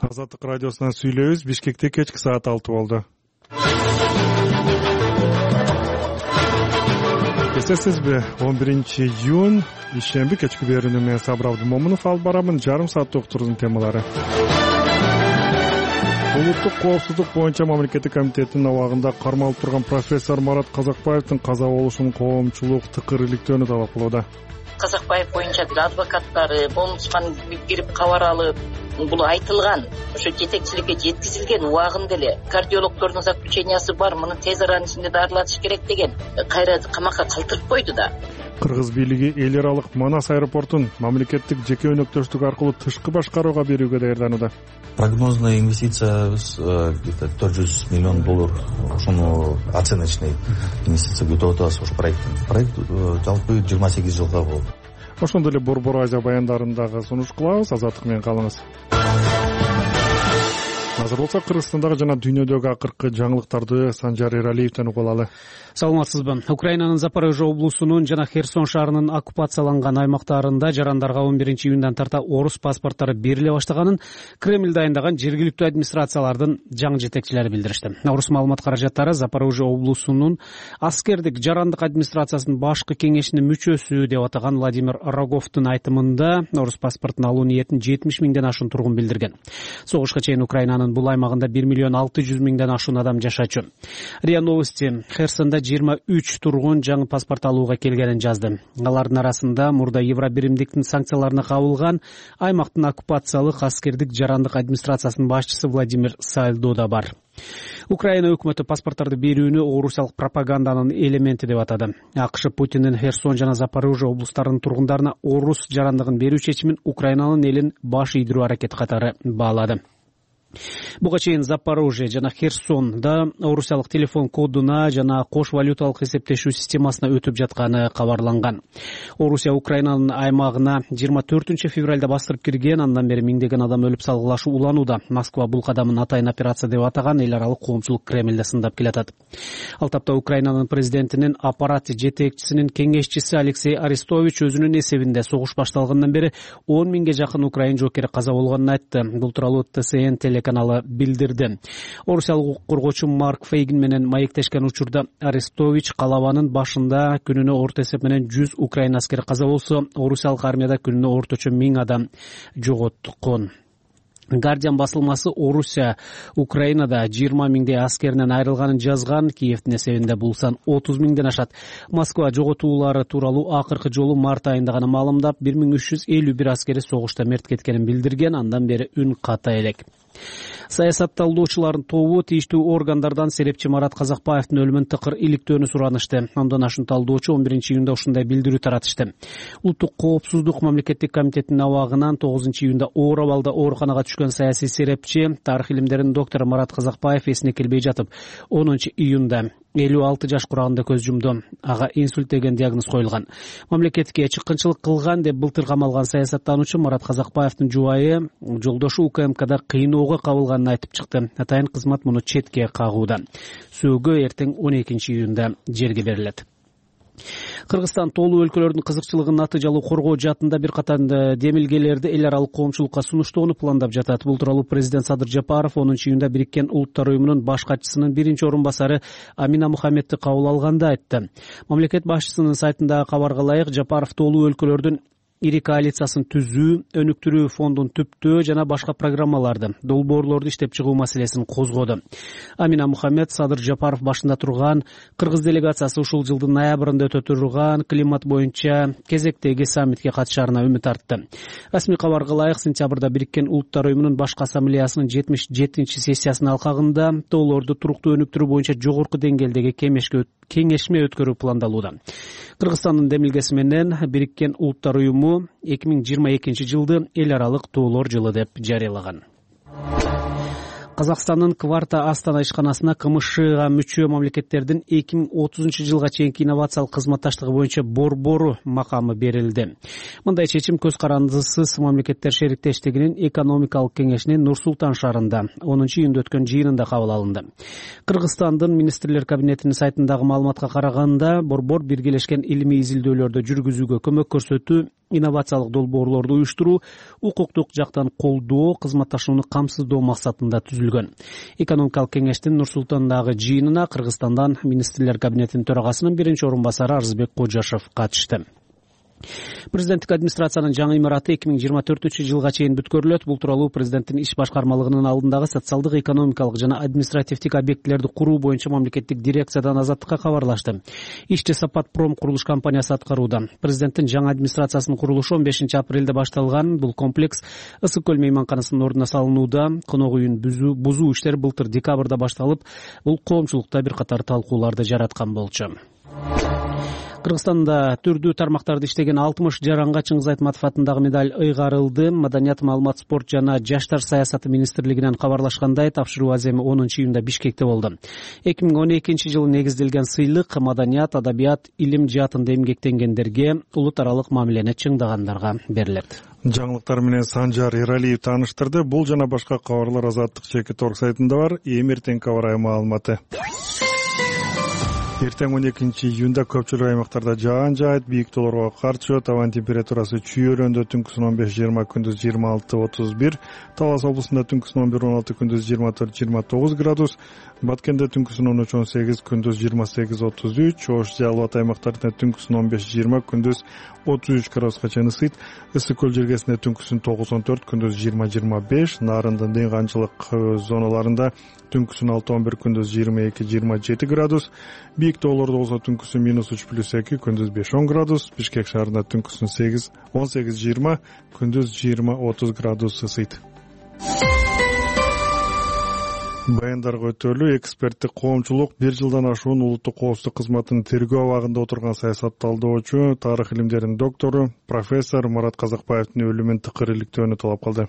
Азаттык радиосунан сүйлөйбүз. Бишкекте кечки саат 6 болду. Эсесизби, 11-июнь ишемби кечки берүүнү мен Сабыр Абдымомунов алып барамын. Жарым сааттык уктуруунун темалары. Улуттук коопсуздук боюнча мамлекеттик комитеттин абагында кармалып турган профессор Марат Казакбаевдин каза болушунун коомчулук тыкыр иликтөөнү талап кылууда. Казакбаев боюнча адвокаттары, омбудсман кирип кабар алып, бул айтылган, ошо жетекчиликке жеткизилген убагында эле кардиологдордун заключениясы бар, муну тез аранын ичинде дарылатыш керек деген кайра камакка калтырып койду да. Кыргыз бийлиги эл аралык Манас аэропортун мамлекеттик жеке өнөктөштүк аркылуу тышкы башкарууга берүүгө даярданууда. Прогнозный инвестициябыз где-то $400 миллион. Ошону оценочный инвестиция күтүп атабыз ошо проекттен. Проект жалпы 28 жылга болот. Ошондой эле Борбор Азия баяндарын сунуш кылабыз. Азаттык менен калыңыз. Азыр болсо Кыргызстандагы жана дүйнөдөгү акыркы жаңылыктарды Санжар Эралиевден угуп алалы. Саламатсызбы. Украинанын Запорожье облусунун жана Херсон шаарынын оккупацияланган аймактарында жарандарга 11-июндан тарта орус паспорттары бериле баштаганын Кремль дайындаган жергиликтүү администрациялардын жаңы жетекчилери билдиришти. Орус маалымат каражаттары Запорожье облусунун аскердик жарандык администрациясынын башкы кеңешинин мүчөсү деп атаган Владимир Роговдун айтымында орус паспортун алуу ниетин 70 миңден ашуун тургун билдирген. Согушка чейин Украинанын бул аймагында 1 600 000 ашуун адам жашачу. РИА Новости Херсонда 23 тургун жаңы паспорт алууга келгенин жазды. Алардын арасында мурда Евробиримдиктин санкцияларына кабылган аймактын оккупациялык аскердик жарандык администрациясынын башчысы Владимир Сальдо да бар. Украина өкмөтү паспорттарды берүүнү орусиялык пропаганданын элементи деп атады. АКШ Путиндин Херсон жана Запорожье облустарынын тургундарына орус жарандыгын берүү чечимин Украинанын элин баш ийдирүү аракети катары баалады. Буга чейин Запорожье жана Херсонда орусиялык телефон кодуна жана кош валюталык эсептешүү системасына өтүп жатканы кабарланган. Орусия Украинанын аймагына 24 февралда бастырып кирген, андан бери миңдеген адам өлүп салгылашуу уланууда. Москва бул кадамын атайын операция деп атаган, эл аралык коомчулук Кремлде сындап келатат. Ал тапта Украинанын президентинин аппарат жетекчисинин кеңешчиси Алексей Арестович өзүнүн эсебинде согуш башталгандан бери 10 миңге жакын украин жокери каза болгонун айтты. Бул тууралуу ТСН телеканалы билдирди. Орусиялык укук коргоочу Марк Фейгин менен маектешкен учурда Арестович калабанын башында күнүнө орто эсеп менен 100 украин аскери каза болсо, орусиялык армияда күнүнө орточо 1000 адам жоготкон. Guardian басылмасы Орусия Украинада 20 миңдей аскеринен айрылганын жазган. Киевдин эсебинде бул сан 30 миңден ашат. Москва жоготуулары тууралуу акыркы жолу март айында гана маалымдап 1351 аскери согушта мерт кеткенин билдирген. Андан бери үн ката элек. Саясатталуучулардын тобу тийиштүү органдардан серепчи Марат Казакбаевдин өлүмүн тыкыр иликтөөнү суранышты. Андан ашуун талдоочу 11-июнда ушундай билдирүү таратышты. Улуттук коопсуздук мамлекеттик комитетинин абагынан 9-июнда оор абалда ооруканага түшкөн саясий серепчи, тарых илимдеринин доктору Марат Казакбаев эсине келбей жатып, 10-июнда 56 жаш курагында көз жумду. Ага инсульт деген диагноз коюлган. Мамлекетке чыккынчылык кылган деп былтыр камалган саясаттануучу Марат Казакбаевдин жубайы жолдошу УКМКда кыйноого кабылганын айтып чыкты. Атайын кызмат муну четке кагууда. Сөөгө эртең 12-июнда жерге берилет. Кыргызстан толуу өлкөлөрдүн кызыкчылыгын натыйжалуу коргоо жаатында бир катар демилгелерди эл аралык коомчулукка сунуштоону пландап жатат. Бул тууралуу президент Садыр Жапаров 10-июнда Бириккен Улуттар уюмунун баш катчысынын биринчи орун басары Амина Мухаммедти кабыл алганда айтты. Мамлекет башчысынын сайтындагы кабарга ылайык, Жапаров толуу өлкөлөрдүн ири коалициясын түзүү, өнүктүрүү фондун түптөө жана башка программаларды, долбоорлорду иштеп чыгуу маселесин козгоду. Амина Мухаммед Садыр Жапаров башында турган Кыргыз делегациясы ушул жылдын ноябрында өтө турган климат боюнча кезектеги саммитке катышаарына үмүт артты. Расмий кабарга ылайык, сентябрда Бириккен Улуттар уюмунун башкы ассамблеясынын 77-чи сессиясынын алкагында тоолорду туруктуу өнүктүрүү боюнча жогорку деңгээлдеги кеңешме өткөрүү пландалууда. Кыргызстандын демилгеси менен Бириккен Улуттар уюму 2022 жылды эл аралык тоолор жылы деп жарыялаган. Казакстандын Кварта Астана ишканасына КМШга мүчө мамлекеттердин 2030 жылга чейинки инновациялык кызматташтыгы боюнча борбору макамы берилди. Мындай чечим көз карандысыз мамлекеттер шериктештигинин экономикалык кеңешинин Нур-Султан шаарында 10-июнда өткөн жыйынында кабыл алынды. Кыргызстандын министрлер кабинетинин сайтындагы маалыматка караганда, борбор биргелешкен илимий изилдөөлөрдү жүргүзүүгө көмөк көрсөтүү, инновациялык долбоорлорду уюштуруу, укуктук жактан колдоо, кызматташууну камсыздоо максатында түзүлгөн. Экономикалык кеңештин Нур-Султандагы жыйынына Кыргызстандан министрлер кабинетинин төрагасынын биринчи орун басары Арызбек Кожашев катышты. Президенттик администрациянын жаңы имараты 2024-жылга чейин бүткөрүлөт. Бул тууралуу президенттин иш башкармалыгынын алдындагы социалдык, экономикалык жана административдик объектилерди куруу боюнча мамлекеттик дирекциядан Азаттыкка кабарлашты. Ишти Сапатпром курулуш компаниясы аткарууда. Президенттин жаңы администрациясынын курулушу 15-апрелде башталган. Бул комплекс Ысык көл мейманканасынын ордуна салынууда. Конок үйүн бузуу иштери былтыр декабрда башталып, бул коомчулукта бир катар талкууларды жараткан болчу. Кыргызстанда түрдүү тармактарда иштеген 60 жаранга Чыңгыз Айтматов атындагы медаль ыйгарылды. Маданият, маалымат, спорт жана жаштар саясаты министрлигинен кабарлашкандай, тапшыруу аземи 10-июнда Бишкекте болду. 2012-жылы негизделген сыйлык маданият, адабият, илим жаатында эмгектенгендерге, улут аралык мамилени чыңдагандарга берилет. Жаңылыктар менен Санжар Эралиев тааныштырды. Бул жана башка кабарлар Азаттык ЖК сайтында бар. Эмертең кабар маалыматы. Эртең 12-июнда көпчүлүк аймактарда жаан жаайт, бийик тоолорго кар түшөт. Абан температурасы чүйөрөндө түнкүсүн 15-20, күндүз 26-31, Талас облусунда түнкүсүн 11-16, күндүз 24-29 градус, Баткенде түнкүсүн 13-18, күндүз 28-33, Ош Жалал аймактарында түнкүсүн 15-20, күндүз 33 градуска чейин ысыйт. Ысык көл жергесинде түнкүсүн 9-14, күндүз 20-25, Нарындын дыйганчылык зоналарында түнкүсүн 6-11, күндүз 22-27 градус, бийик тоолордо болсо түнкүсүн -3+2, күндүз 5-10 градус, Бишкек шаарында түнкүсүн 18-20, күндүз 20-30 градус ысыйт. Баяндарга өтөлүү эксперттик коомчулук 1 жылдан ашуун улуттук коопсуздук кызматынын тергөө абагында отурган саясатталдоочу, тарых илимдеринин доктору, профессор Марат Казакбаевдин өлүмүн тыкыр иликтөөнү талап кылды.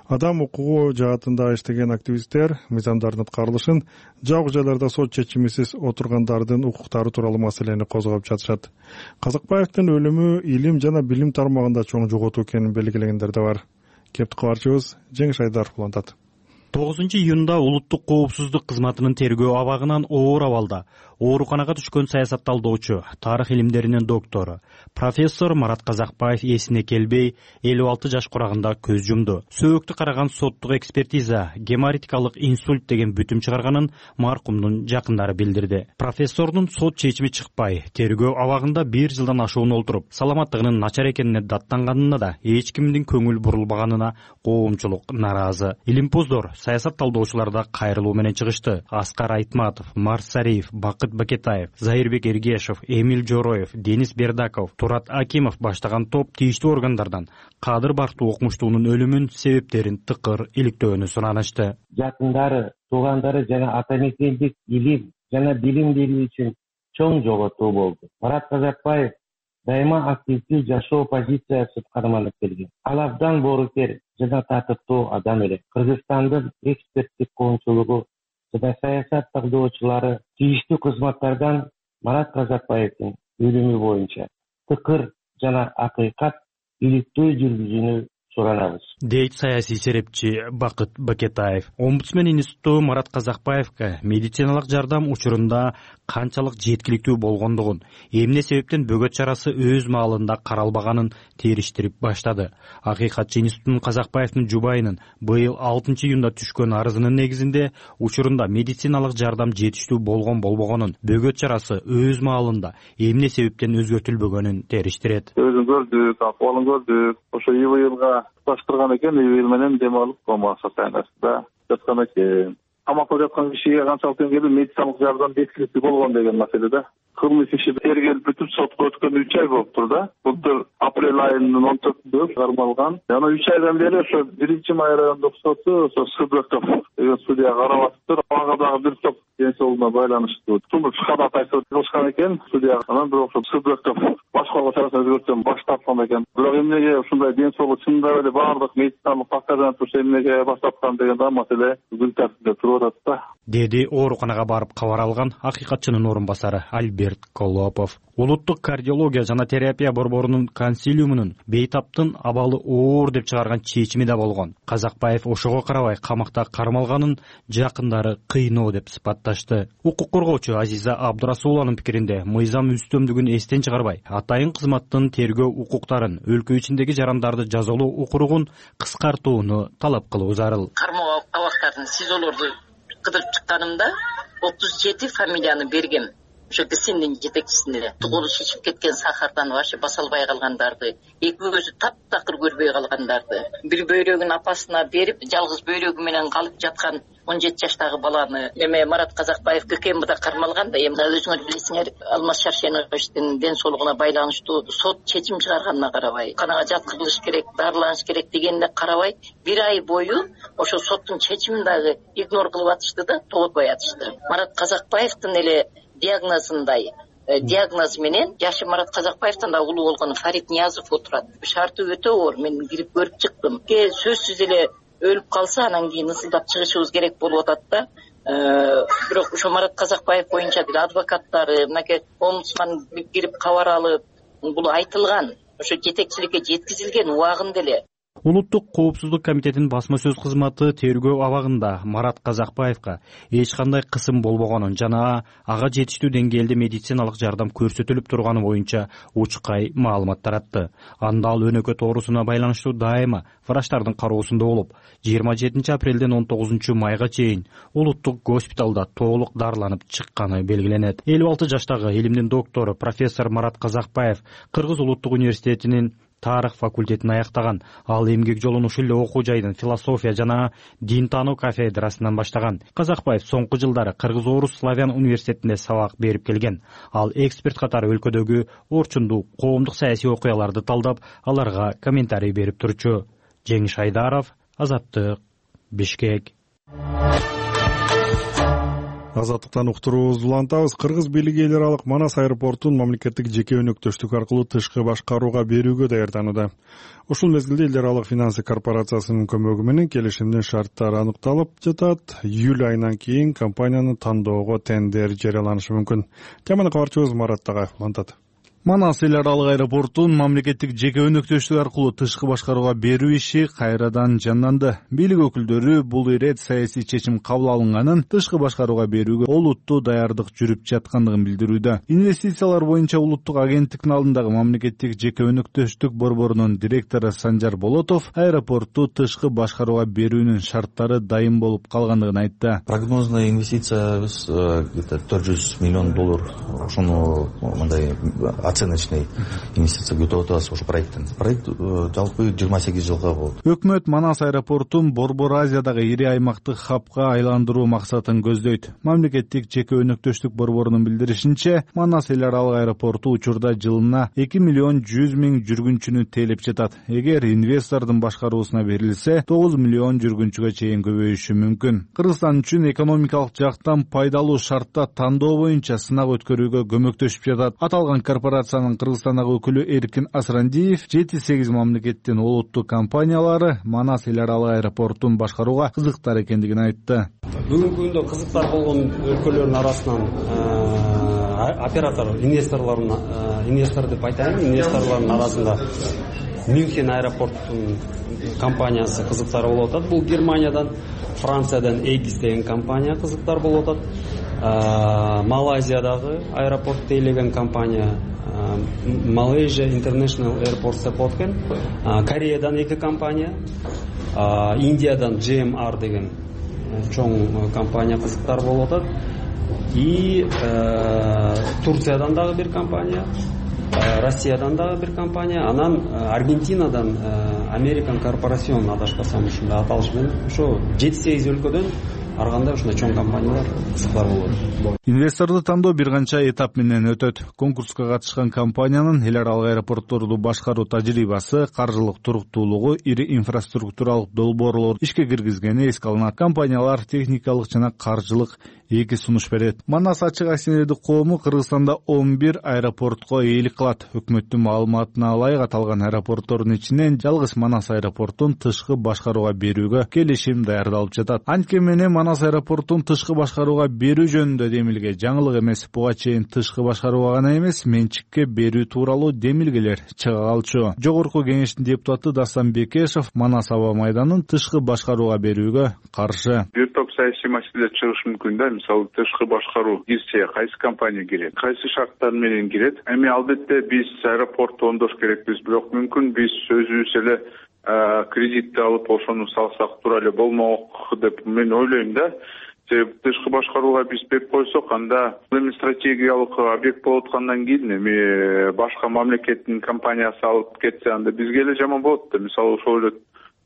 Адам укугу жаатында иштеген активисттер мыйзамдардын аткарылышын, жабык жайларда сот чечимисиз отургандардын укуктары тууралуу маселени козгоп жатышат. Казакбаевдин өлүмү илим жана билим тармагында чоң жоготуу экенин белгилегендер да бар. Кепти кабарчыбыз Жеңиш Айдаров улантат. 9-июнда улуттук коопсуздук кызматынын тергөө абагынан оор абалда ооруканага түшкөн саясатталдоочу, тарых илимдеринин доктору, профессор Марат Казакбаев эсине келбей 56 жаш курагында көз жумду. Сөөктү караган соттук экспертиза геморитикалык инсульт деген бүтүм чыгарганын маркумдун жакындары билдирди. Профессордун сот чечими чыкпай, тергөө абагында 1 жылдан ашуун олтуруп, саламаттыгынын начар экенине даттанганына да эч кимдин көңүл бурулбаганына коомчулук наразы. Илимпоздор саясатталдоочуларда кайрылуу менен чыгышты. Аскар Айтматов, Марсариев, Бакыт Бакетаев, Заирбек Эргешев, Эмил Жороев, Денис Бердаков, Турат Акимов баштаган топ тийиштүү органдардан Кадыр Бактуу окумуштуунун өлүмүн себептерин тыкыр иликтөөнү суранышты. Жакындары, туугандары жана ата мекендик илим жана билим берүү үчүн чоң жоготуу болду. Марат Казакбаев дайыма активдүү жашоо позициясы карманып келген. Ал абдан боорукер жана татыктуу адам эле. Кыргызстандын эксперттик коомчулугу жана саясатталдоочулары тийиштүү кызматтардан Марат Казакбаевдин өлүмү боюнча тыкыр жана акыйкат иликтөө жүргүзүүнү суранабыз, дейт саясий серепчи Бакыт Бакетаев. Омбудсмен институту Марат Казакбаевга медициналык жардам учурунда канчалык жеткиликтүү болгондугун, эмне себептен бөгөт чарасы өз маалында каралбаганын териштирип баштады. Акыйкатчы институттун Казакбаевдин жубайынын быйыл 6-июнда түшкөн арызынын негизинде учурунда медициналык жардам жетиштүү болгон-болбогонун, бөгөт чарасы өз маалында эмне себептен өзгөртүлбөгөнүн териштирет. Өзүн көрдүк, акыбалын көрдүк. Ошо ИВЛга туташтырган экен, ИВЛ менен дем алып кома сатайнасында жаткан экен. Камакта жаткан кишиге канчалык деңгээлде медициналык жардам жеткиликтүү болгон деген маселе да. Кылмыш иши тергелип бүтүп сотко өткөн 3 ай болуптур да. Былтыр апрель айынын 14-үндө кармалган. Жана 3 айдан бери ошо 1-май райондук соту ошо Сыдыков деген судья карап атыптыр. Ага дагы бир топ ден соолугуна байланыштуу тумуш кадат айтып кылышкан экен судья. Анан бирок ошо Сыдыков башкаруу чарасынан өзгөртөм баш тарткан экен. Бирок эмнеге ушундай ден соолук чындап эле баардык медициналык паспорттордон турса эмнеге баш тарткан деген да маселе күн тартында туруп атат да, деди ооруканага барып кабар алган акыйкатчынын орун басары Альберт Колопов. Улуттук кардиология жана терапия борборунун консилиумунун бейтаптын абалы оор деп чыгарган чечими да болгон. Казакбаев ошого карабай камакта кармалганын жакындары кыйноо деп сыпатташты. Укук коргоочу Азиза Абдурасулованын пикиринде мыйзам үстөмдүгүн эстен чыгарбай, атайын кызматтын тергөө укуктарын, өлкө ичиндеги жарандарды жазалоо укугун кыскартууну талап кылуу зарыл. Кармоо абактарын СИЗОлорду кыдырып чыкканымда 37 фамилияны бергем. Ошо ГСИНдин жетекчисине колу шишип кеткен сахардан вообще баса албай калгандарды, эки көзү таптакыр көрбөй калгандарды, бир бөйрөгүн апасына берип, жалгыз бөйрөгү менен калып жаткан 17 жаштагы баланы эме Марат Казакбаев ККМда кармалган да, эми өзүңөр билесиңер, Алмаз Шаршеновичтин ден соолугуна байланыштуу сот чечим чыгарганына карабай, канага жаткырылыш керек, дарыланыш керек дегенине карабай, бир ай бою ошо соттун чечимин дагы игнор кылып атышты да, тоготпой атышты. Марат Казакбаевдин эле диагнозу менен жашы Марат Казакбаевден да улуу болгон Фарид Ниязов отурат. Шарты өтө оор, мен кирип көрүп чыктым. Сөзсүз эле өлүп калса, анан кийин ысылдап чыгышыбыз керек болуп атат да. Бирок ошо Марат Казакбаев боюнча деле адвокаттары, мынакей омбудсман кирип кабар алып, бул айтылган, ошо жетекчиликке жеткизилген убагында эле. Улуттук коопсуздук комитетинин басма сөз кызматы тергөө абагында Марат Казакбаевга эч кандай кысым болбогонун жана ага жетиштүү деңгээлде медициналык жардам көрсөтүлүп турганы боюнча учкай маалымат таратты. Анда ал өнөкөт оорусуна байланыштуу дайыма врачтардын кароосунда болуп, 27 апрелден 19 майга чейин улуттук госпиталда толук дарыланып чыкканы белгиленет. 56 жаштагы илимдин доктору профессор Марат Казакбаев Кыргыз улуттук университетинин тарых факультетин аяктаган. Ал эмгек жолун ушул эле окуу жайдын философия жана дин таануу кафедрасынан баштаган. Казакбаев соңку жылдары Кыргыз Орус Славян университетинде сабак берип келген. Ал эксперт катары өлкөдөгү орчундуу коомдук саясий окуяларды талдап, аларга комментарий берип турчу. Жеңиш Айдаров, Азаттык, Бишкек. Азаттыктан уктуруубузду улантабыз. Кыргыз бийлиги эл аралык Манас аэропортун мамлекеттик жеке өнөктөштүк аркылуу тышкы башкарууга берүүгө даярданууда. Ушул мезгилде эл аралык финансы корпорациясынын көмөгү менен келишимдин шарттары аныкталып жатат. Июль айынан кийин компанияны тандоого тендер жарыяланышы мүмкүн. Теманы кабарчыбыз Марат Тагаев улантат. Манас эл аралык аэропортун мамлекеттик жеке өнөктөштүк аркылуу тышкы башкарууга берүү иши кайрадан жанданды. Бийлик өкүлдөрү бул ирет саясий чечим кабыл алынганын тышкы башкарууга берүүгө олуттуу даярдык жүрүп жаткандыгын билдирүүдө. Инвестициялар боюнча улуттук агенттиктин алдындагы мамлекеттик жеке өнөктөштүк борборунун директору Санжар Болотов аэропортту тышкы башкарууга берүүнүн шарттары дайым болуп калгандыгын айтты. Прогнозный инвестициябыз где-то $400 миллион. Ошону мындай оценочный инвестиция бүтүп атабыз ошо проекттен. Проект жалпы 28 жылга болот. Өкмөт Манас аэропортун Борбор Азиядагы ири аймактык хабка айландыруу максатын көздөйт. Мамлекеттик жеке өнөктөштүк борборунун билдиришинче, Манас эл аралык аэропорту учурда жылына 2 миллион 100 миң жүргүнчүнү тейлеп жатат. Эгер инвестордун башкаруусуна берилсе, 9 миллион жүргүнчүгө чейин көбөйүшү мүмкүн. Кыргызстан үчүн экономикалык жактан пайдалуу шартта тандоо боюнча сынак өткөрүүгө көмөктөшүп жатат. Аталган корпорациянын Кыргызстандагы өкүлү Эркин Асрандиев 7-8 мамлекеттин олуттук компаниялары Манас эл аралык аэропортун башкарууга кызыктар экендигин айтты. Бүгүнкү күндө кызыктар болгон өлкөлөрдүн арасынан оператор, инвестор деп айтайын, инвесторлордун арасында Мюнхен аэропорттун компаниясы кызыктар болуп атат. Бул Германиядан, Франциядан Эгис деген компания кызыктар болуп атат. Малайзиядагы аэропорт тейлеген компания Malaysia International Airport деп аткен. Кореядан 2 компания, Индиядан GMR деген чоң компания кызыктар болуп атат. И Турциядан дагы бир компания, Россиядан дагы бир компания, анан Аргентинадан American Corporation адашпасам ушундай аталыш менен ошо 7-8 өлкөдөн арганда ушундай чоң компаниялар кызыктар болот. Инвесторду тандоо бир канча этап менен өтөт. Конкурска катышкан компаниянын эл аралык аэропортторду башкаруу тажрыйбасы, каржылык туруктуулугу, ири инфраструктуралык долбоорлор ишке киргизгени эске алынат. Компаниялар техникалык жана каржылык эки сунуш берет. Манас ачык акционердик коому Кыргызстанда 11 аэропортко ээлик кылат. Өкмөттүн маалыматына ылайык аталган аэропорттордун ичинен жалгыз Манас аэропортун тышкы башкарууга берүүгө келишим даярдалып жатат. Анткени Манас Манас аэропортун тышкы башкарууга берүү жөнүндө демилге жаңылык эмес. Буга чейин тышкы башкарууга гана эмес, менчикке берүү тууралуу демилгелер чыга калчу. Жогорку кеңештин депутаты Дастан Бекешев Манас аба майданын тышкы башкарууга берүүгө каршы. Бир топ саясий маселелер чыгышы мүмкүн да. Мисалы, тышкы башкаруу кирсе кайсы компания кирет, кайсы шарттар менен кирет. Эми албетте биз аэропортто оңдош керекпиз, бирок мүмкүн биз өзүбүз эле кредитти алып ошону салсак туура эле болмок деп мен ойлойм да. Себеби тышкы башкарууга биз берип койсок, анда эми стратегиялык объект болуп аткандан кийин эми башка мамлекеттин компаниясы алып кетсе, анда бизге эле жаман болот да. Мисалы, ошол эле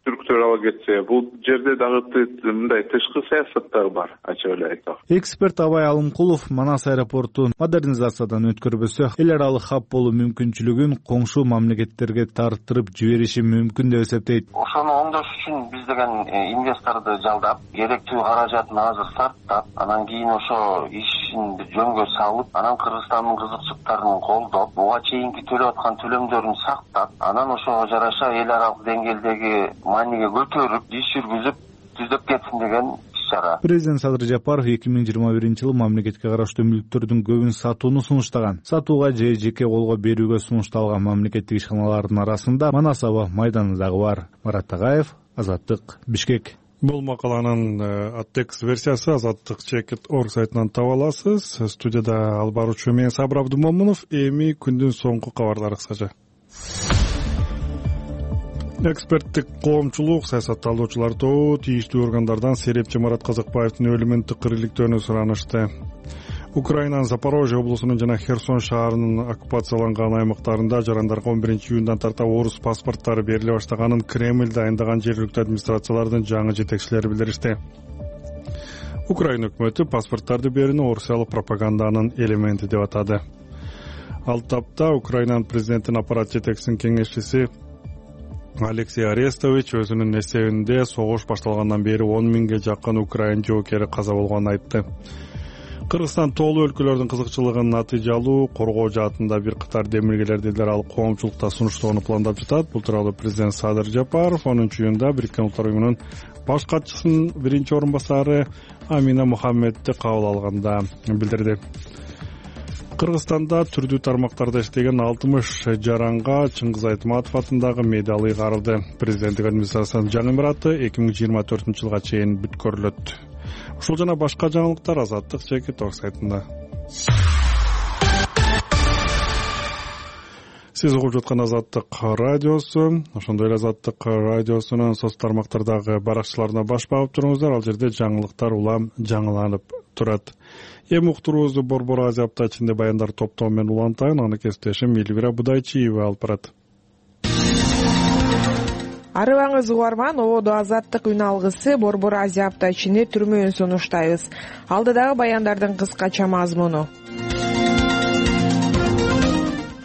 түрктөр ала кетсе, бул жерде дагы мындай тышкы саясаттар бар, ачык эле айтсак. Эксперт Абай Алымкулов Манас аэропортун модернизациядан өткөрбөсө, эл аралык хаб болуу мүмкүнчүлүгүн коңшу мамлекеттерге тарттырып жибериши мүмкүн деп эсептейт. Ошону оңдош үчүн биз деген инвесторду жалдап, керектүү каражатын азыр сарптап, анан кийин ошо ишин жөнгө салып, анан Кыргызстандын кызыкчылыктарын колдоп, буга чейинки төлөп аткан төлөмдөрүн сактап, анан ошого жараша эл аралык деңгээлдеги мааниге көтөрүп, иш жүргүзүп, түздөп кетсин деген иш-чара. Президент Садыр Жапаров 2021-жылы мамлекетке караштуу мүлктөрдүн көбүн сатууну сунуштаган. Сатууга же жеке колго берүүгө сунушталган мамлекеттик ишканалардын арасында Манас аба майданы дагы бар. Марат Тагаев, Азаттык, Бишкек. Бул макаланын текст версиясы Азаттык Чекит.org сайтынан таба аласыз. Студияда алып баруучу мен Сабыр Абдумомунов. Эми күндүн соңку кабарлары кыскача. Эксперттик коомчулук саясатталуучулар тобу тийиштүү органдардан серепчи Марат Казакбаевдин өлүмүн тыкыр иликтөөнү суранышты. Украинанын Запорожье облусунун жана Херсон шаарынын оккупацияланган аймактарында жарандарга 11-июндан тарта орус паспорттары бериле баштаганын Кремль дайындаган жергиликтүү администрациялардын жаңы жетекчилери билдиришти. Украина өкмөтү паспорттарды берүүнү орусиялык пропаганданын элементи деп атады. Ал тапта Украинанын президентинин аппарат жетекчисинин кеңешчиси Алексей Арестович өзүнүн эсебинде согуш башталгандан бери 10 миңге жакын украин жоокери каза болгонун айтты. Кыргызстан тоолуу өлкөлөрдүн кызыкчылыгын натыйжалуу коргоо жаатында бир катар демилгелерди ал коомчулукта сунуштоону пландап жатат. Бул тууралуу президент Садыр Жапаров 10-июнда Бириккен Улуттар уюмунун баш катчысынын биринчи орун басары Амина Мухаммедди кабыл алганда билдирди. Кыргызстанда түрдүү тармактарда иштеген 60 жаранга Чыңгыз Айтматов атындагы медаль ыйгарылды. Президенттик администрациянын жаңы имараты 2024-жылга чейин бүткөрүлөт. Ушул жана башка жаңылыктар Азаттык Чекит.org сайтында. Сиз угуп жаткан Азаттык радиосу, ошондой эле Азаттык радиосунун соц тармактардагы баракчаларына баш багып туруңуздар. Ал жерде жаңылыктар улам жаңыланып турат. Эми уктуруубузду Борбор Азия апта ичинде баяндар топтоо менен улантайын. Аны кесиптешим Элвира Будайчиева алып барат. Арыбаңыз угарман, ободо Азаттык үн алгысы Борбор Азия апта ичинде түрмөөн сунуштайбыз. Алдыдагы баяндардын кыскача мазмуну.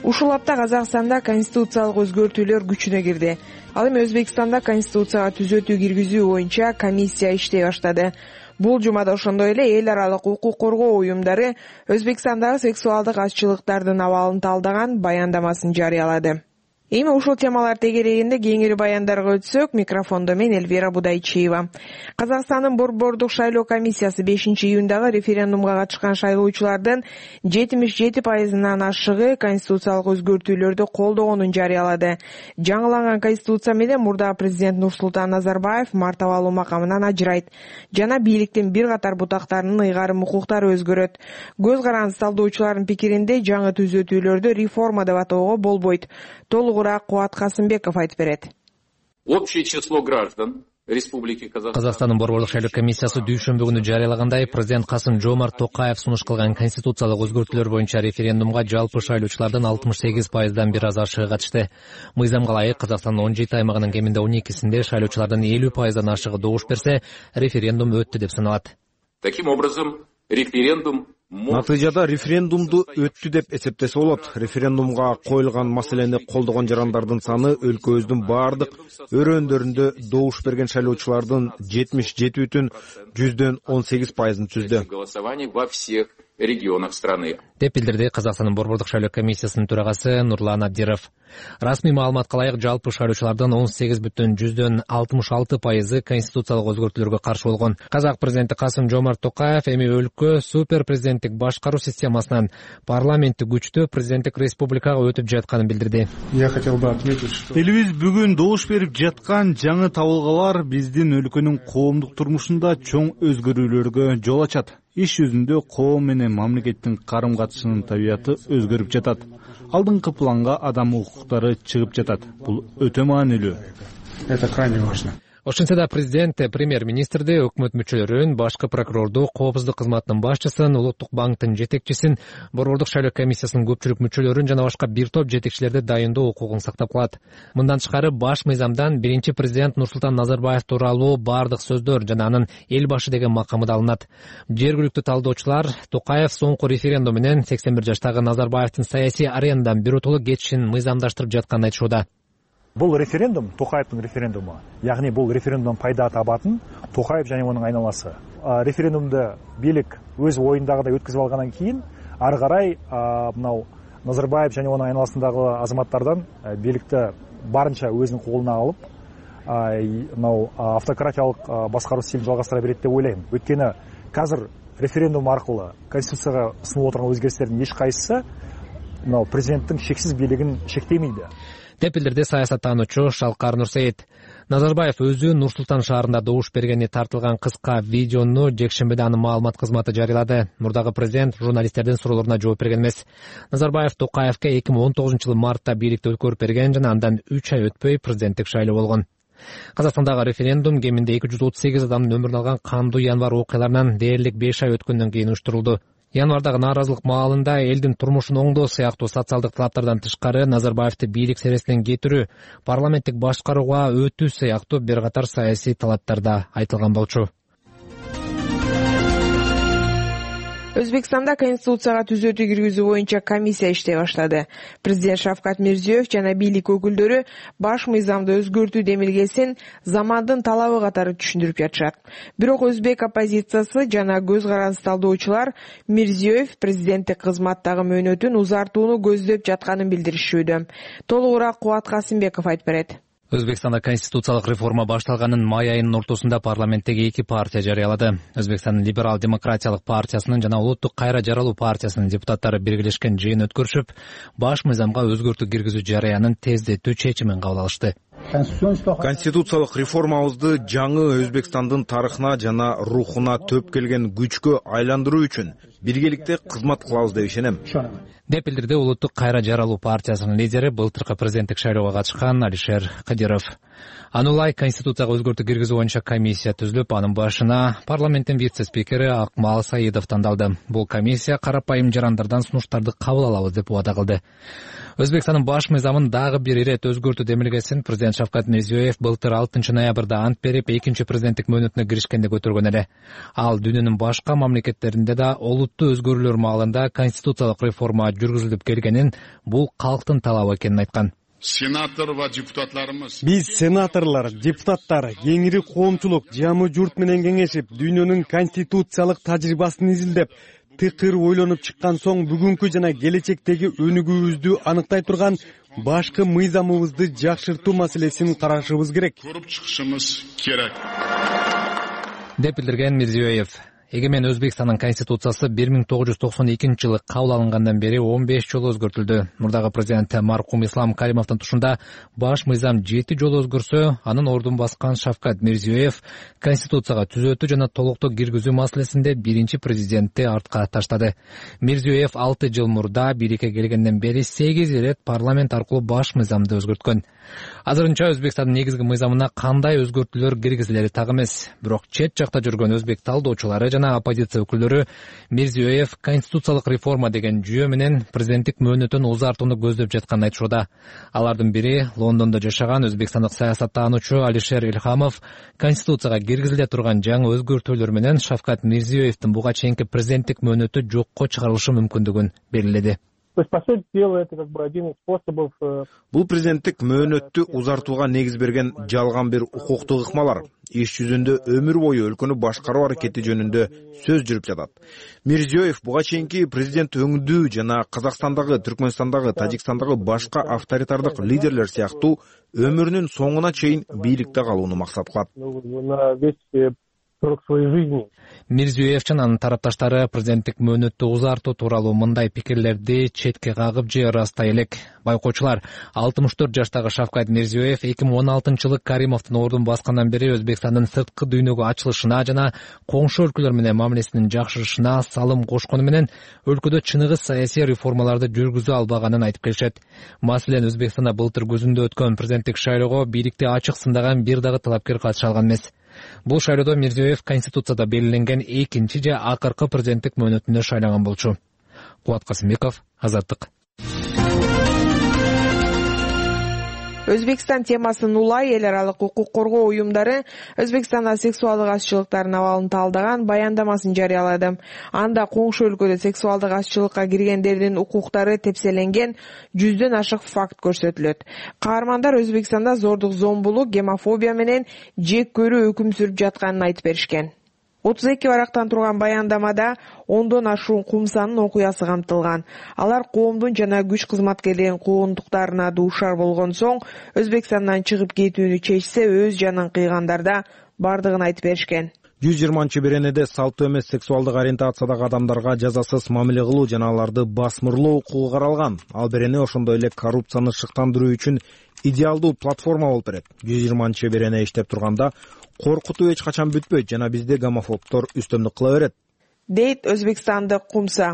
Ушул апта Казакстанда конституциялык өзгөртүүлөр күчүнө кирди. Ал эми Өзбекстанда конституцияга түзөтүү киргизүү боюнча комиссия иштей баштады. Бул жумада ошондой эле эл аралык укук коргоо уюмдары Өзбекстандагы сексуалдык азчылыктардын абалын талдаган баяндамасын жарыялады. Эми ушул темалар тегерегинде кеңири баяндарга өтсөк, микрофондо мен Элвира Будайчиева. Казакстандын борбордук шайлоо комиссиясы 5-июндагы референдумга катышкан шайлоочулардын 77%-нан ашыгы конституциялык өзгөртүүлөрдү колдогонун жарыялады. Жаңыланган конституция менен мурдагы президент Нурсултан Назарбаев мартабалуу макамынан ажырайт жана бийликтин бир катар бутактарынын ыйгарым укуктары өзгөрөт. Көз каранды талдоочулардын пикиринде жаңы түзөтүүлөрдү реформа деп атоого болбойт. Толугураак Кубат Касымбеков айтып берет. Общее число граждан Республики Казакстандын борбордук шайлоо комиссиясы дүйшөмбү күнү жарыялагандай, президент Касым-Жомарт Токаев сунуш кылган конституциялык өзгөртүүлөр боюнча референдумга жалпы шайлоочулардын 68%дан бир аз ашыгы катышты. Мыйзамга ылайык Казакстандын 17 аймагынын кеминде 12-синде шайлоочулардын 50%дан ашыгы добуш берсе, референдум өттү деп саналат. Таким образом, референдум Натыйжада референдумду өттү деп эсептесе болот. Референдумга коюлган маселени колдогон жарандардын саны өлкөбүздүн бардык өрөөндөрүндө добуш берген шайлоочулардын 77,18%-ын түздү регионах страны, деп билдирди Казакстандын Борбордук шайлоо комиссиясынын төрагасы Нурлан Абдиров. Расмий маалыматка ылайык жалпы шайлоочулардын 18,66% конституциялык өзгөртүүлөргө каршы болгон. Казак президенти Касым-Жомарт Токаев эми өлкө супер президенттик башкаруу системасынан парламенттик күчтүү президенттик республикага өтүп жатканын билдирди. Я хотел бы отметить, что элибиз бүгүн добуш берип жаткан жаңы табылгалар биздин өлкөнүн коомдук турмушунда чоң өзгөрүүлөргө жол ачат. Иш жүзүндө коом менен мамлекеттин карым катышынын табияты өзгөрүп жатат. Алдыңкы планга адам укуктары чыгып жатат. Бул өтө маанилүү. Это крайне важно. Ошентсе да президент, премьер-министрди, өкмөт мүчөлөрүн, башкы прокурорду, коопсуздук кызматынын башчысын, Улуттук банктын жетекчисин, Борбордук шайлоо комиссиясынын көпчүлүк мүчөлөрүн жана башка бир топ жетекчилерди дайындоо укугун сактап калат. Мындан тышкары баш мыйзамдан биринчи президент Нурсултан Назарбаев тууралуу бардык сөздөр жана анын эл башы деген макамы да алынат. Жергиликтүү талдоочулар Токаев соңку референдум менен 81 жаштагы Назарбаевдин саясий аренадан биротоло кетишин мыйзамдаштырып жатканын айтышууда. Бул референдум Токаевдин референдуму. Ягни бул референдумдан пайда табатын Токаев жана анын айналасы. Референдумду бийлик өз оюндагыдай өткөзүп алгандан кийин ары карай мынау Назарбаев жана анын айналасындагы азаматтардан бийликти барынча өзүнүн колуна алып, мынау автократиялык башкаруу стилин жалгастыра берет деп ойлойм. Өйткөнү азыр референдум аркылуу конституцияга сунуп отурган өзгөртүүлөрдүн эч кайсысы мынау президенттин шексиз бийлигин шектемейди, деп билдирди саясаттануучу Шалкар Нурсейит. Назарбаев өзү Нур-Султан шаарында добуш бергени тартылган кыска видеону жекшембиде анын маалымат кызматы жарыялады. Мурдагы президент журналисттердин суроолоруна жооп берген эмес. Назарбаев Токаевке 2019-жылы мартта бийликти өткөрүп берген жана андан 3 ай өтпөй президенттик шайлоо болгон. Казакстандагы референдум кеминде 238 адамдын өмүрүн алган кандуу январь окуяларынан дээрлик 5 ай өткөндөн кийин уюштурулду. Январдагы нааразылык маалында элдин турмушун оңдоо сыяктуу социалдык талаптардан тышкары Назарбаевди бийлик сересинен кетирүү, парламенттик башкарууга өтүү сыяктуу бир катар саясий талаптар да айтылган болчу. Өзбекстанда конституцияга түзөтүү киргизүү боюнча комиссия иштей баштады. Президент Шавкат Мирзиёев жана бийлик өкүлдөрү баш мыйзамды өзгөртүү демилгесин замандын талабы катары түшүндүрүп жатышат. Бирок өзбек оппозициясы жана көз каранды талдоочулар Мирзиёев президенттик кызматтагы мөөнөтүн узартууну көздөп жатканын билдиришүүдө. Толугураак Кубат Касымбеков айтып берет. Өзбекстанда конституциялык реформа башталганын май айынын ортосунда парламенттеги 2 партия жарыялады. Өзбекстандын либерал-демократиялык партиясынын жана Улуттук кайра жаралуу партиясынын депутаттары биргелешкен жыйын өткөрүшүп, баш мыйзамга өзгөртүү киргизүү жарыянын тездетүү чечимин кабыл алышты. Конституциялык реформабызды жаңы Өзбекстандын тарыхына жана рухуна төп келген күчкө айландыруу үчүн биргеликте кызмат кылабыз деп ишенем, деп билдирди Улуттук кайра жаралуу партиясынын лидери былтыркы президенттик шайлоого катышкан Алишер Кадиров. Анулай конституцияга өзгөртүү киргизүү боюнча комиссия түзүлүп, анын башына парламенттин вице-спикери Акмал Саидов тандалды. Бул комиссия карапайым жарандардан сунуштарды кабыл алабыз деп убада кылды. Өзбекстандын баш мыйзамын дагы бир ирет өзгөртүү демилгесин президент Шавкат Мирзиёев былтыр 6 ноябрда ант берип, экинчи президенттик мөөнөтүнө киришкенде көтөргөн эле. Ал дүйнөнүн башка мамлекеттеринде да олуттуу өзгөрүүлөр маалында конституциялык реформа жүргүзүлүп келгенин, бул калктын талабы экенин айткан. Биз сенаторлор, депутаттар, кеңири коомчулук жамы журт менен кеңешип, дүйнөнүн конституциялык тажрыйбасын изилдеп, тыкыр ойлонуп чыккан соң бүгүнкү жана келечектеги өнүгүүбүздү аныктай турган башкы мыйзамыбызды жакшыртуу маселесин карашыбыз керек. Көрүп чыгышыбыз керек, деп билдирген Мирзиёев. Эгемен Өзбекстандын конституциясы 1992-жылы кабыл алынгандан бери 15 жолу өзгөртүлдү. Мурдагы президент маркум Ислам Каримовдун тушунда баш мыйзам 7 жолу өзгөрсө, анын ордун баскан Шавкат Мирзиёев конституцияга түзөтүү жана толуктоо киргизүү маселесинде биринчи президентти артка таштады. Мирзиёев 6 жыл мурда бийликке келгенден бери 8 ирет парламент аркылуу баш мыйзамды өзгөрткөн. Азырынча Өзбекстандын негизги мыйзамына кандай өзгөртүүлөр киргизилери так эмес. Бирок чет жакта жүргөн өзбек талдоочулары жана оппозиция өкүлдөрү Мирзиёев конституциялык реформа деген жүйө менен президенттик мөөнөтүн узартууну көздөп жатканын айтышууда. Алардын бири Лондондо жашаган өзбекстандык саясаттануучу Алишер Илхамов конституцияга киргизиле турган жаңы өзгөртүүлөр менен Шавкат Мирзиёевдин буга чейинки президенттик мөөнөтү жокко чыгарылышы мүмкүндүгүн белгиледи. Бул президенттик мөөнөттү узартууга негиз берген жалган бир укуктук ыкмалар. Иш жүзүндө өмүр бою өлкөнү башкаруу аракети жөнүндө сөз жүрүп жатат. Мирзиёев буга чейинки президент өңдүү жана Казакстандагы, Түркмөнстандагы, Тажикстандагы башка авторитардык лидерлер сыяктуу өмүрүнүн соңуна чейин бийликте калууну максат кылат. Мирзиёев жана анын тарапташтары президенттик мөөнөттү узартуу тууралуу мындай пикирлерди четке кагып же ырастай элек. Байкоочулар, 64 жаштагы Шавкат Мирзиёев 2016-жылы Каримовдун ордун баскандан бери Өзбекстандын сырткы дүйнөгө ачылышына жана коңшу өлкөлөр менен мамилесинин жакшырышына салым кошкону менен өлкөдө чыныгы саясий реформаларды жүргүзө албаганын айтып келишет. Маселен, Өзбекстанда былтыр күзүндө өткөн президенттик шайлоого бийликти ачык сындаган бир дагы талапкер катыша алган эмес. Бул шайлоодо Мирзиёев конституцияда белгиленген экинчи же акыркы президенттик мөөнөтүнө шайланган болчу. Кубат Касымбеков, Азаттык. Өзбекстан темасын улай эл аралык укук коргоо уюмдары Өзбекстанда сексуалдык азчылыктардын абалын талдаган баяндамасын жарыялады. Анда коңшу өлкөдө сексуалдык азчылыкка киргендердин укуктары тепселенген 100дөн ашык факт көрсөтүлөт. Каармандар Өзбекстанда зордук, зомбулук, гомофобия менен жек көрүү өкүм сүрүп жатканын айтып беришкен. 32 барактан турган баяндамада 10дон ашуун кумсанын окуясы камтылган. Алар коомдун жана күч кызматкерлеринин куугунтуктарына дуушар болгон соң Өзбекстандан чыгып кетүүнү чечсе, өз жанын кыйгандарда бардыгын айтып беришкен. 120-беренеде салттуу эмес сексуалдык ориентациядагы адамдарга жазасыз мамиле кылуу жана аларды басмырлоо укугу каралган. Ал берене ошондой эле коррупцияны шыктандыруу үчүн идеалдуу платформа болуп берет. 120-берене иштеп турганда коркутуу эч качан бүтпөйт жана бизде гомофобдор үстөмдүк кыла берет, дейт өзбекстандык Кумса.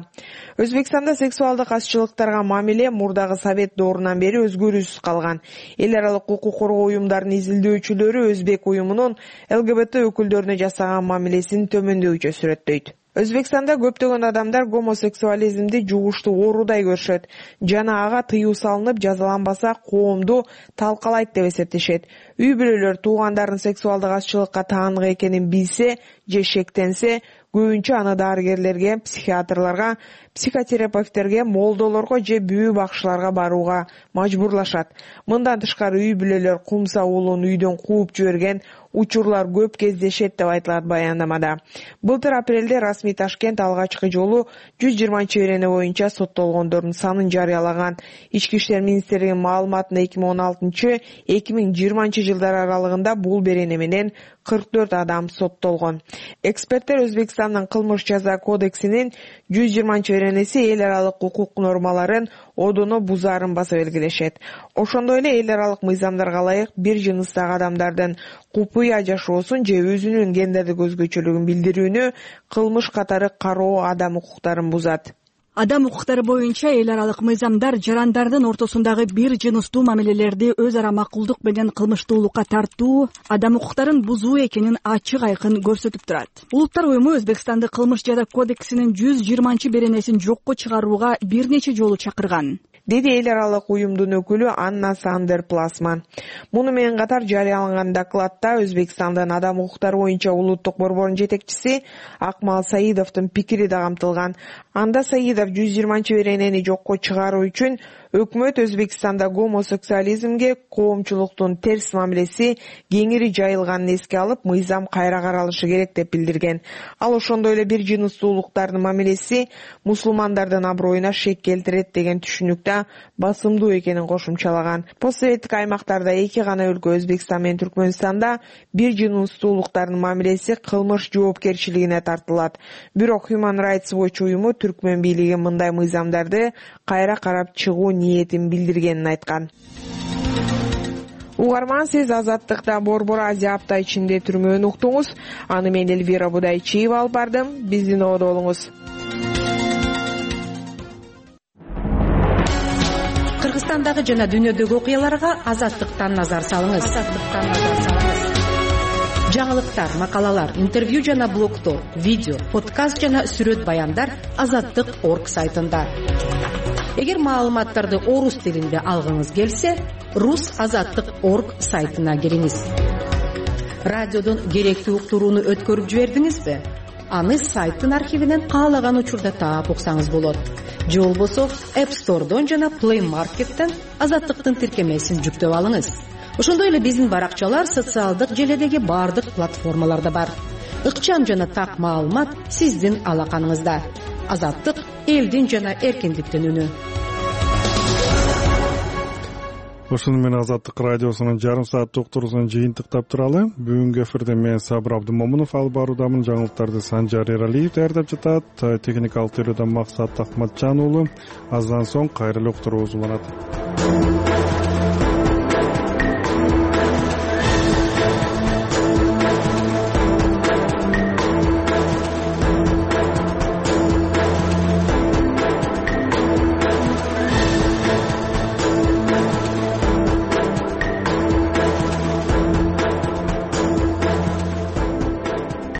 Өзбекстанда сексуалдык азчылыктарга мамиле мурдагы совет доорунан бери өзгөрүүсүз калган. Эл аралык укук коргоо уюмдарынын изилдөөчүлөрү Өзбек уюмунун ЛГБТ өкүлдөрүнө жасаган мамилесин төмөндөүчө сүрөттөйт. Өзбекстанда көптөгөн адамдар гомосексуализмди жугуштуу оорудай көрүшөт жана ага тыюу салынып жазаланбаса коомду талкалайт деп эсептешет. Үй бүлөлөр туугандардын сексуалдык азчылыкка таандык экенин билсе же шектенсе, көбүнчө аны дарыгерлерге, психиатрларга, психотерапевттерге, молдолорго же бүү бакчыларга барууга мажбурлашат. Мындан тышкары үй бүлөлөр Кумса уулун үйдөн кууп жиберген учурлар көп кездешет деп айтылат баяндамада. Былтыр апрелде расмий Ташкент алгачкы жолу 120-берене боюнча соттолгондордун санын жарыялаган. Ички иштер министрлигинин маалыматында 2016-2020 жылдар аралыгында бул берене менен 44 адам соттолгон. Эксперттер Өзбекстандын кылмыш жаза кодексинин 120-беренеси эл аралык укук нормаларын одоно бузаарын баса белгилешет. Ошондой эле эл аралык мыйзамдарга ылайык бир жыныстагы адамдардын купуя жашоосун же өзүнүн гендердик өзгөчөлүгүн билдирүүнү кылмыш катары кароо адам укуктарын бузат. Адам укуктары боюнча эл аралык мыйзамдар жарандардын ортосундагы бир жыныстуу мамилелерди өз ара макулдук менен кылмыштуулукка тартуу, адам укуктарын бузуу экенин ачык айкын көрсөтүп турат. Улуттар уюму Өзбекстанды кылмыш жаза кодексинин 120-беренесин жокко чыгарууга бир нече жолу чакырган, деди эл аралык уюмдун өкүлү Анна Сандер Пласман. Муну менен катар жарыяланган докладта Өзбекстандын адам укуктары боюнча улуттук борборунун жетекчиси Акмал Саидовдун пикири да камтылган. Анда Саидов 120-беренени жокко чыгаруу үчүн өкмөт Өзбекстанда гомосексуализмге коомчулуктун терс мамилеси кеңири жайылганын эске алып, мыйзам кайра каралышы керек деп билдирген. Ал ошондой эле бир жыныстуулуктардын мамилеси мусулмандардын аброюна шек келтирет деген түшүнүктө басымдуу экенин кошумчалаган. Постсоветтик аймактарда эки гана өлкө Өзбекстан менен Түркмөнстанда бир жыныстуулуктардын мамилеси кылмыш жоопкерчилигине тартылат. Бирок Human Rights Watch уюму түркмөн бийлиги мындай мыйзамдарды кайра карап чыгуу ниетин билдиргенин айткан. Угарман, сиз Азаттыкта Борбор Азия апта ичинде түрмөнү уктуңуз. Аны мен Элвира Будайчиева алып бардым. Биздин ободо болуңуз. Кыргызстандагы жана дүйнөдөгү окуяларга Азаттыктан назар салыңыз. жаңылыктар, макалалар, интервью жана блогдор, видео, подкаст жана сүрөт баяндар Азаттык.орг сайтында. Эгер маалыматтарды орус тилинде алгыңыз келсе, rusazаттык.орг сайтына кириңиз. Радиодон керектүү уктурууну өткөрүп жибердиңизби? Аны сайттын архивинен каалаган учурда таап уксаңыз болот. Же болбосо App Store'дон жана Play Market'тен Азаттыктын тиркемесин жүктөп алыңыз. Ошондой эле биздин баракчалар социалдык желедеги бардык платформаларда бар. Ыкчам жана так маалымат сиздин алаканыңызда. Азаттык — элдин жана эркиндиктин үнү. Ошону менен Азаттык радиосунун жарым сааттык уктуруусун жыйынтыктап туралы. Бүгүнкү эфирде мен Сабыр Абдымомунов алып баруудамын. Жаңылыктарды Санжар Эралиев даярдап жатат. Техникалык теориядан Максат Акматжан уулу. Аздан соң кайрылуу уктуруубуз уланат.